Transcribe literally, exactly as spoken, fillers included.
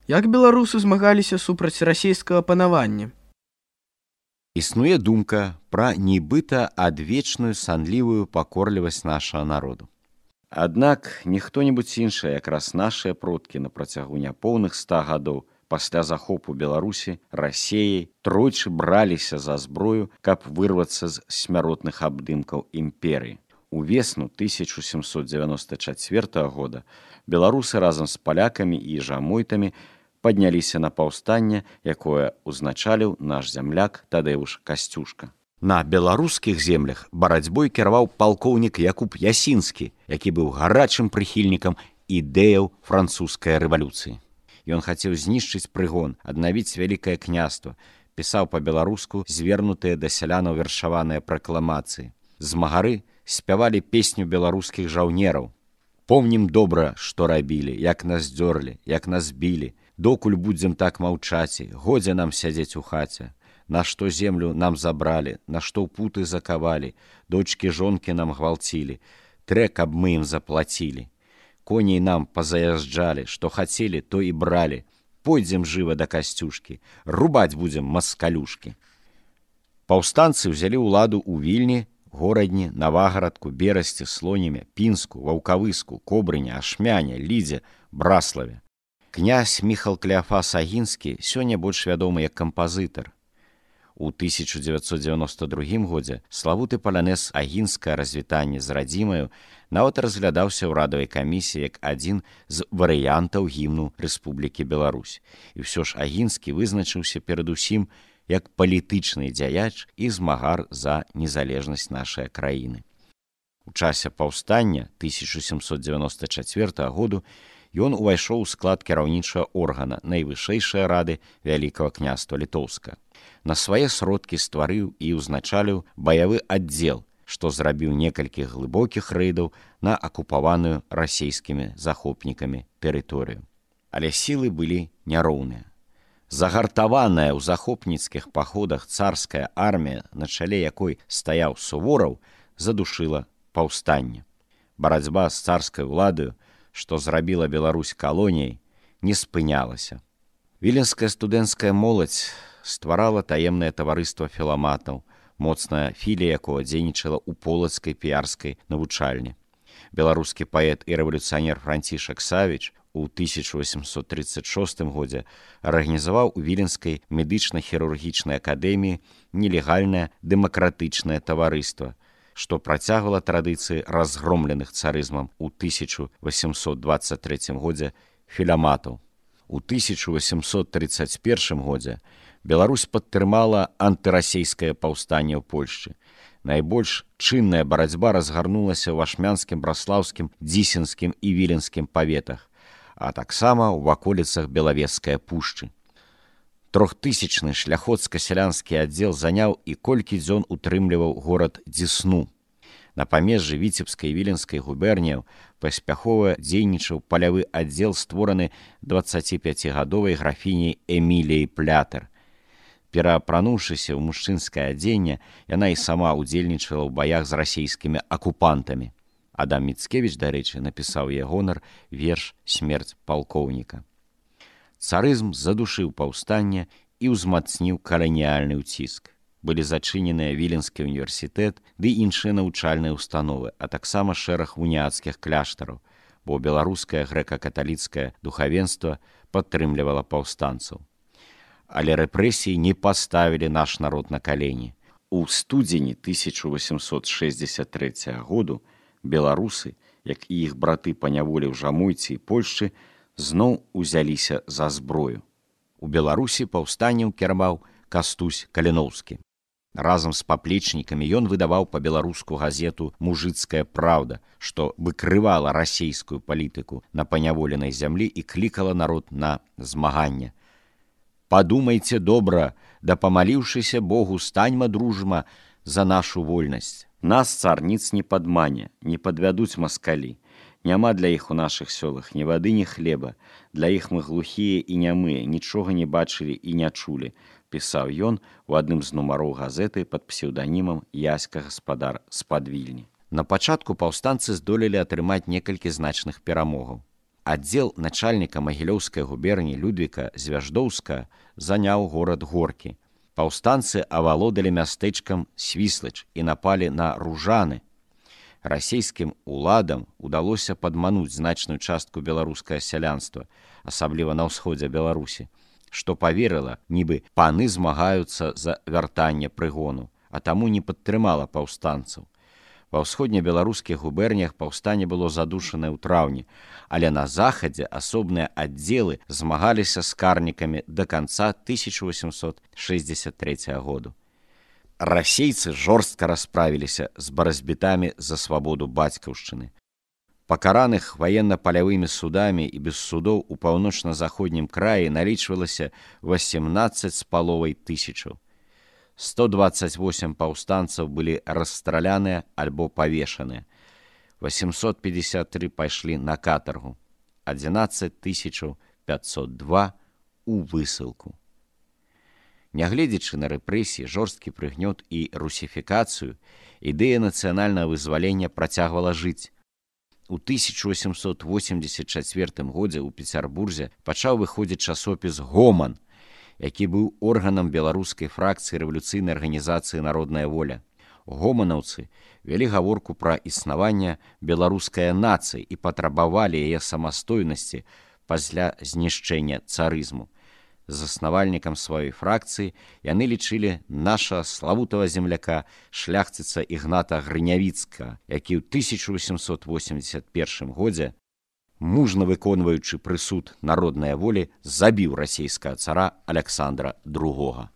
Як беларусы змагаліся супраць расійскага панавання? Існуе думка пра нібыта адвечную санлівую пакорлівасць нашага народу. Аднак не хто-небудзь іншы, якраз нашыя продкі на працягу няпоўных ста гадоў пасля захопу Беларусі Расеяй тройчы браліся за зброю, каб вырвацца з смяротных абдымкаў імперыі. Увесну тысяча сямсот дзевяноста чацвёртага года беларусы разам з палякамі і жамойтамі падняліся на паўстанне, якое узначаліў наш зямляк Тадэуш Касцюшка. На беларускіх землях барацьбой кіраваў палкоўнік Якуб Ясінскі, які быў гарачым прыхільнікам ідэяў французскай рэвалюцыі. Ён хацеў знішчыць прыгон, аднавіць вялікае княства, пісаў па-беларуску звернутыя да сялянаў вершаваныя пракламацыі. Змагары спявалі песню беларускіх жаўнераў. Помнім добра, што рабілі, як нас дзёрлі, як нас білі, докуль будзем так маўчаці, годзе нам сядзець у хаце. На што землю нам забралі, на што ў путы закавалі, дочкі жонкі нам гвалцілі, трэ, каб мы ім заплацілі. Коней нам пазаязджалі, што хацелі, то і бралі. Пойдзем жыва да Касцюшкі, рубаць будзем маскалюшкі. Паўстанцы ўзялі ўладу ў Вільні, Горадні, Навагарадку, Берасці, Слонімі, Пінску, Ваўкавыску, Кобрыні, Ашмяне, Лідзе, Браславе. Князь Міхал Клеафас Агінскі сёння больш вядомы як кампазітар. У тысяча дзевяцьсот дзевяноста другім годзе славуты палянэз «Агінскае развітанне з радзімаю» нават разглядаўся ў радавай камісіі як адзін з варыянтаў гімну Рэспублікі Беларусь. І ўсё ж Агінскі вызначыўся перадусім як палітычны дзяяч і змагар за незалежнасць нашай краіны. У часе паўстання тысяча сямсот дзевяноста чацвёртага году ён увайшоў у склад кіраўнічага органа найвышэйшай рады Вялікага княства Літоўска. На свае сродкі стварыў і ўзначаліў баявы аддзел, што зрабіў некалькі глыбокіх рэйдаў на акупаваную расійскімі захопнікамі тэрыторыю. Але сілы былі няроўныя. Загартаваная ў захопніцкіх паходах царская армія, на чале якой стаяў Сувораў, задушыла паўстанне. Барацьба з царскай уладаю, што зрабіла Беларусь калоніяй, не спынялася. Віленская студэнцкая моладзь стварала таемнае таварыства філаматаў, моцная філія якога дзейнічала ў полацкай піярскай навучальні. Беларускі паэт і рэвалюцыянер Францішак Савіч у тысяча восемьсот тридцать шостым годзе арганізаваў у Віленскай медычна-хірургічнай акадэміі нелегальнае дэмакратычнае таварыства, што працягвала традыцыі разгромленых царызмам у тысяча восемьсот двадцать трэцім годзе філаматаў. У тысяча восемьсот тридцать першым годзе Беларусь падтрымала антырасейскае паўстанне ў Польшчы. Найбольш чынная барацьба разгарнулася ў ашмянскім, браслаўскім, дзісенскім і віленскім паветах, а таксама ў ваколіцах Белавежскай пушчы. Трохтысячны шляхоцка-сялянскі аддзел заняў і колькі дзён утрымліваў горад Дзесну. На памежжы Віцебскай і Віленскай губерніяў паспяхова дзейнічаў палявы аддзел, створаны дваццаціпяцігадовай графіняй Эміліяй Плятэр. Пераапрануўшыся ў мужчынскае адзенне, яна і сама ўдзельнічала ў баях з расійскімі акупантамі. Адам Міцкевіч, дарэчы, напісаў яе гонар верш «Смерць палкоўніка». Царызм задушыў паўстанне і ўзмацніў каланіяльны ўціск. Былі зачыненыя Віленскі універсітэт ды іншыя навучальныя ўстановы, а таксама шэраг уніяцкіх кляштараў, бо беларускае грэка-каталіцкае духавенства падтрымлівала паўстанцаў. Але рэпрэсіі не паставілі наш народ на калені. У студзені тысяча восемьсот шэсцьдзесят трэцяга году беларусы, як і іх браты па няволі ў Жамойцы і Польшчы, зноў узяліся за зброю. У Беларусі паўстаннем кіраваў Кастусь Каліноўскі. Разам з паплечнікамі ён выдаваў па-беларуску газету «Мужыцкая праўда», што выкрывала расійскую палітыку на паняволенай зямлі і клікала народ на змаганне. «Падумайце добра, да памаліўшыся Богу, станьма дружма за нашу вольнасць. Нас цар ніц не падмане, не падвядуць маскалі. Няма для іх у нашых сёлах ні вады, ні хлеба. Для іх мы глухія і нямыя, нічога не бачылі і не чулі», пісаў ён у адным з нумароў газеты пад псеўданімам Яська гаспадар з-пад Вільні. На пачатку паўстанцы здолелі атрымаць некалькі значных перамогаў. Аддзел начальніка Магілёўскай губерніі Людвіка Звяждоўска заняў горад Горкі. Паўстанцы авалодалі мястэчкам Свіслач і напалі на Ружаны. Расійскім уладам удалося падмануць значную частку беларускае сялянства, асабліва на ўсходзе Беларусі, што паверыла, нібы паны змагаюцца за вяртанне прыгону, а таму не падтрымала паўстанцаў. Ва ўсходнебеларускіх губерніях паўстанне было задушанае ў траўні, але на захадзе асобныя аддзелы змагаліся з карнікамі да канца тысяча васьмсот шэсцьдзесят трэцяга году. Расейцы жорстка расправіліся з барацьбітамі за свабоду бацькаўшчыны. Пакараных ваенна-палявымі судамі і без судоў у паўночна-заходнім краі налічвалася васемнаццаць з паловай тысячаў. сто дваццаць восем паўстанцаў былі расстраляныя альбо павешаныя. восемьсот пятьдесят три пайшлі на катаргу, адзінаццаць тысяч пятьсот два у высылку. Нягледзячы на рэпрэсіі, жорсткі прыгнёт і русіфікацыю, ідэя нацыянальнага вызвалення працягвала жыць. У тысяча васемьсот восемьдесят чацвёртым годзе ў Пецярбурзе пачаў выходзіць часопіс «Гоман», які быў органам беларускай фракцыі рэвалюцыйнай арганізацыі «Народная воля». Гоманаўцы вялі гаворку пра існаванне беларускай нацыі і патрабавалі яе самастойнасці пасля знішчэння царызму. Заснавальнікам сваёй фракцыі яны лічылі наша славутага земляка шляхціца Ігната Грынявіцкага, які ў тысяча васемьсот восемьдесят першым годзе, мужна выконваючы прысуд народнай волі, забіў расійскага цара Аляксандра другога.